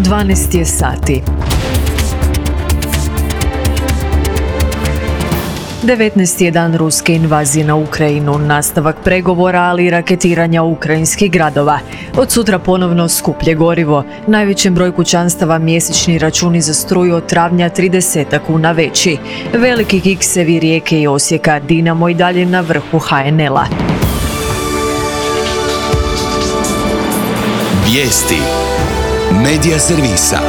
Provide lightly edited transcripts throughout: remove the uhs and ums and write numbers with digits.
12 je sati. 19. je dan ruske invazije na Ukrajinu, nastavak pregovora, ali i raketiranja ukrajinskih gradova. Od sutra ponovno skuplje gorivo. Najvećem broju kućanstava mjesečni računi za struju od travnja 30 kuna veći. Veliki kiksevi Rijeke i Osijeka, Dinamo i dalje na vrhu HNL-a. Vijesti Medija servisa.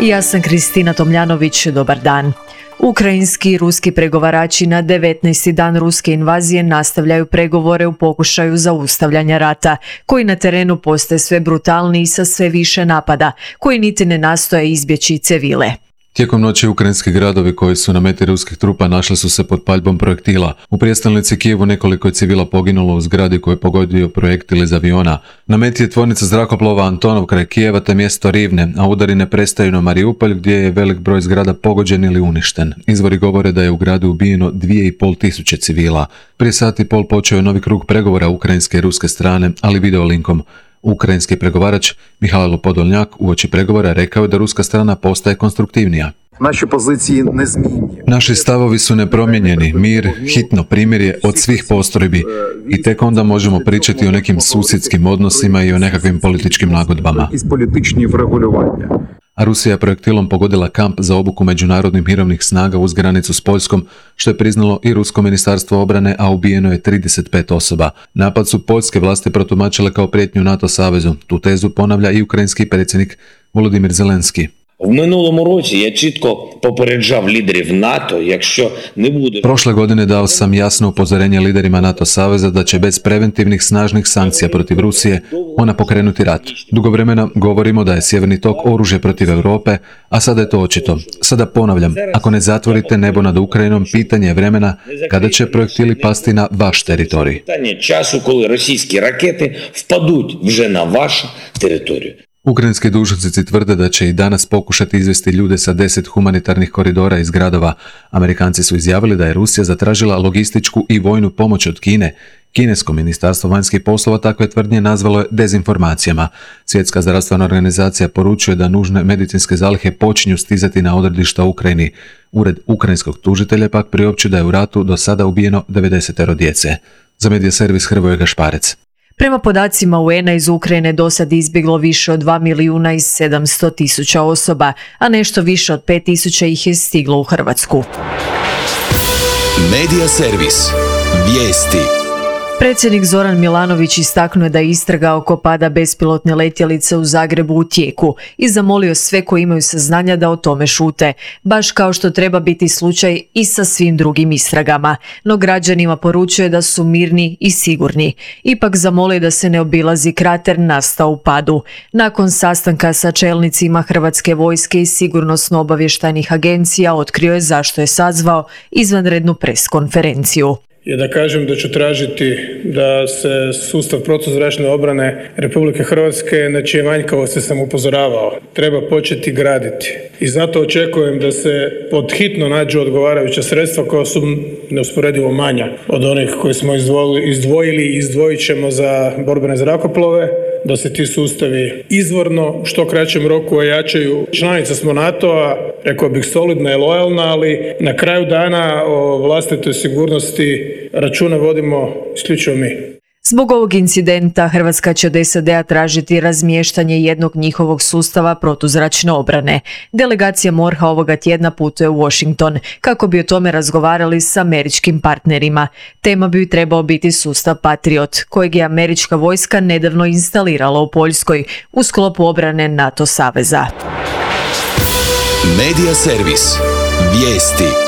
Ja sam Kristina Tomljanović, dobar dan. Ukrajinski i ruski pregovarači na 19. dan ruske invazije nastavljaju pregovore u pokušaju zaustavljanja rata, koji na terenu postaje sve brutalniji sa sve više napada, koji niti ne nastoje izbjeći civile. Tijekom noći ukrajinski gradovi koji su na meti ruskih trupa našli su se pod paljbom projektila. U prijestolnici Kijevu nekoliko je civila poginulo u zgradi koju je pogodio projektil iz aviona. Na meti je tvornica zrakoplova Antonov kraj Kijeva te mjesto Rivne, a udari ne prestaju na Mariupolj gdje je velik broj zgrada pogođen ili uništen. Izvori govore da je u gradu ubijeno 2.500 civila. Prije sat i pol počeo je novi krug pregovora ukrajinske i ruske strane, ali video linkom. Ukrajinski pregovarač Mihajlo Podolnjak uoči pregovora rekao je da ruska strana postaje konstruktivnija. Naši stavovi su nepromijenjeni, mir, hitno primirje od svih postrojbi i tek onda možemo pričati o nekim susjedskim odnosima i o nekakvim političkim nagodbama. A Rusija je projektilom pogodila kamp za obuku međunarodnih mirovnih snaga uz granicu s Poljskom, što je priznalo i Rusko ministarstvo obrane, a ubijeno je 35 osoba. Napad su poljske vlasti protumačile kao prijetnju NATO savezu. Tu tezu ponavlja i ukrajinski predsjednik Volodymyr Zelenski. Prošle godine dao sam jasno upozorenje liderima NATO saveza da će bez preventivnih snažnih sankcija protiv Rusije ona pokrenuti rat. Dugo vremena govorimo da je Sjeverni tok oružje protiv Europe, a sada je to očito. Sada ponavljam, ako ne zatvorite nebo nad Ukrajinom, pitanje je vremena kada će projektili pasti na vaš teritorij. Ukrajinski dužnosnici tvrde da će i danas pokušati izvesti ljude sa 10 humanitarnih koridora iz gradova. Amerikanci su izjavili da je Rusija zatražila logističku i vojnu pomoć od Kine. Kinesko ministarstvo vanjskih poslova takve tvrdnje nazvalo je dezinformacijama. Svjetska zdravstvena organizacija poručuje da nužne medicinske zalihe počinju stizati na odredišta u Ukrajini. Ured ukrajinskog tužitelja pak priopćuje da je u ratu do sada ubijeno 90 djece. Za medija servis Hrvoje Gašparec. Prema podacima UN-a iz Ukrajine do sad izbjeglo više od 2.700.000 osoba, a nešto više od 5.000 ih je stiglo u Hrvatsku. Medija servis. Vijesti. Predsjednik Zoran Milanović istaknuo je da je istraga oko pada bespilotne letjelice u Zagrebu u tijeku i zamolio sve koji imaju saznanja da o tome šute, baš kao što treba biti slučaj i sa svim drugim istragama. No građanima poručuje da su mirni i sigurni. Ipak zamolio da se ne obilazi krater nastao u padu. Nakon sastanka sa čelnicima Hrvatske vojske i sigurnosno-obavještajnih agencija otkrio je zašto je sazvao izvanrednu preskonferenciju. Je da kažem da ću tražiti da se sustav protuzračne obrane Republike Hrvatske, na čije manjkavosti sam upozoravao, treba početi graditi. I zato očekujem da se pod hitno nađu odgovarajuća sredstva koja su neusporedivo manja od onih koje smo izdvojili i izdvojit ćemo za borbene zrakoplove, da se ti sustavi izvorno u što kraćem roku ojačaju. Članica smo NATO-a, rekao bih solidna i lojalna, ali na kraju dana o vlastitoj sigurnosti računa vodimo isključivo mi. Zbog ovog incidenta Hrvatska će od SAD-a tražiti razmještanje jednog njihovog sustava protuzračne obrane. Delegacija MORH-a ovoga tjedna putuje u Washington kako bi o tome razgovarali s američkim partnerima. Tema bi trebao biti sustav Patriot, kojeg je američka vojska nedavno instalirala u Poljskoj u sklopu obrane NATO saveza. Medija servis. Vijesti.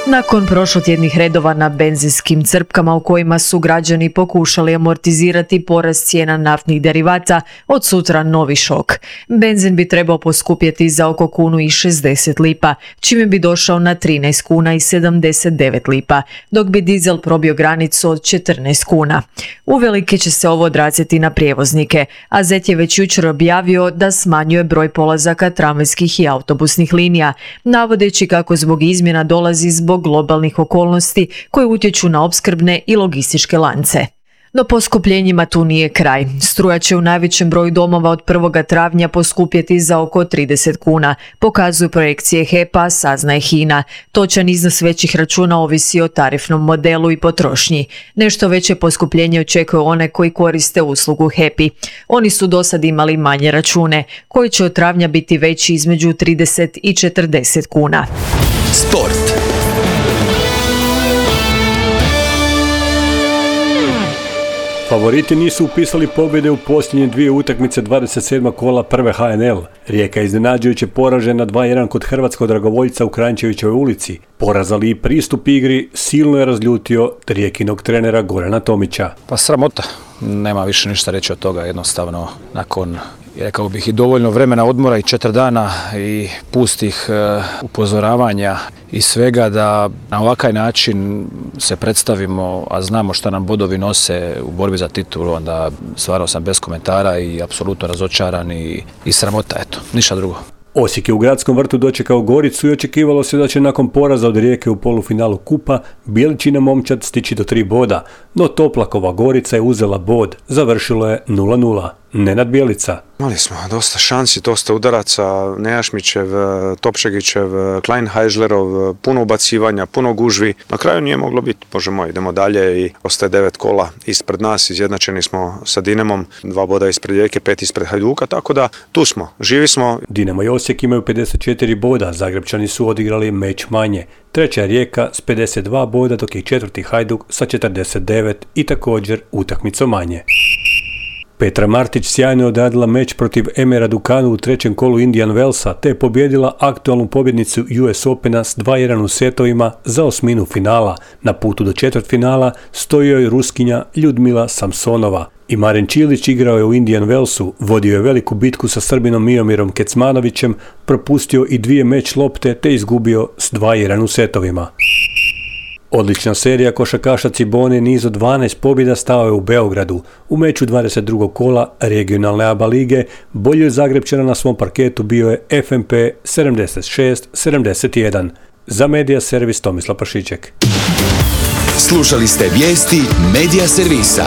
Nakon prošlotjednih redova na benzinskim crpkama u kojima su građani pokušali amortizirati porast cijena naftnih derivata, od sutra novi šok. Benzin bi trebao poskupjeti za oko 1,60 lipa, čime bi došao na 13,79 lipa, dok bi dizel probio granicu od 14 kuna. Uvelike će se ovo odraziti na prijevoznike, a ZET je već jučer objavio da smanjuje broj polazaka tramvajskih i autobusnih linija, navodeći kako zbog izmjena dolazi zbog globalnih okolnosti koje utječu na opskrbne i logističke lance. No poskupljenjima tu nije kraj. Struja će u najvećem broju domova od 1. travnja poskupjeti za oko 30 kuna, pokazuju projekcije HEP-a, saznaje HINA. Točan iznos većih računa ovisi o tarifnom modelu i potrošnji. Nešto veće poskupljenje očekuju one koji koriste uslugu HEP-i. Oni su dosad imali manje račune, koji će od travnja biti veći između 30 i 40 kuna. Sport. Favoriti nisu upisali pobjede u posljednje 2 utakmice 27. kola prve HNL. Rijeka je iznenađujuće poražena 2-1 kod hrvatskog dragovoljca u Kranjčevićevoj ulici. Poraz, ali i pristup igri silno je razljutio Rijekinog trenera Gorana Tomića. Pa sramota, nema više ništa reći od toga, jednostavno nakon, rekao bih, i dovoljno vremena odmora i 4 dana i pustih upozoravanja i svega, da na ovakav način se predstavimo, a znamo šta nam bodovi nose u borbi za titulu, onda stvarno sam bez komentara i apsolutno razočaran i sramota, eto, ništa drugo. Osijek je u Gradskom vrtu dočekao Goricu i očekivalo se da će nakon poraza od Rijeke u polufinalu kupa Bijeličina momčad stići do 3 boda, no Toplakova Gorica je uzela bod, završilo je 0-0. Nenad Bjelica. Imali smo dosta šansi, dosta udaraca, Nejašmićev, Topšegićev, Kleinhajžlerov, puno ubacivanja, puno gužvi. Na kraju nije moglo biti, bože moj, idemo dalje i ostaje 9 kola ispred nas, izjednačeni smo sa Dinamom, 2 boda ispred Rijeke, 5 ispred Hajduka, tako da tu smo, živi smo. Dinamo i Osijek imaju 54 boda, Zagrepčani su odigrali meč manje. Treća je Rijeka s 52 boda, dok je četvrti Hajduk sa 49 i također utakmicom manje. Petra Martić sjajno je odradila meč protiv Emera Dukanu u 3. kolu Indian Wellsa, te je pobjedila aktualnu pobjednicu US Opena s 2-1 u setovima za osminu finala. Na putu do četvrtfinala stoji joj Ruskinja Ljudmila Samsonova. I Maren Čilić igrao je u Indian Wellsu, vodio je veliku bitku sa Srbinom Miomirom Kecmanovićem, propustio i 2 meč lopte te izgubio s 2-1 u setovima. Odlična serija košarkaša Cibone, niz od 12 pobjeda stao je u Beogradu. U meču 22. kola regionalne ABA lige bolji od Zagrepčana na svom parketu bio je FNP 76-71. Za Medija servis Tomislav Pašiček. Slušali ste vijesti Medija servisa.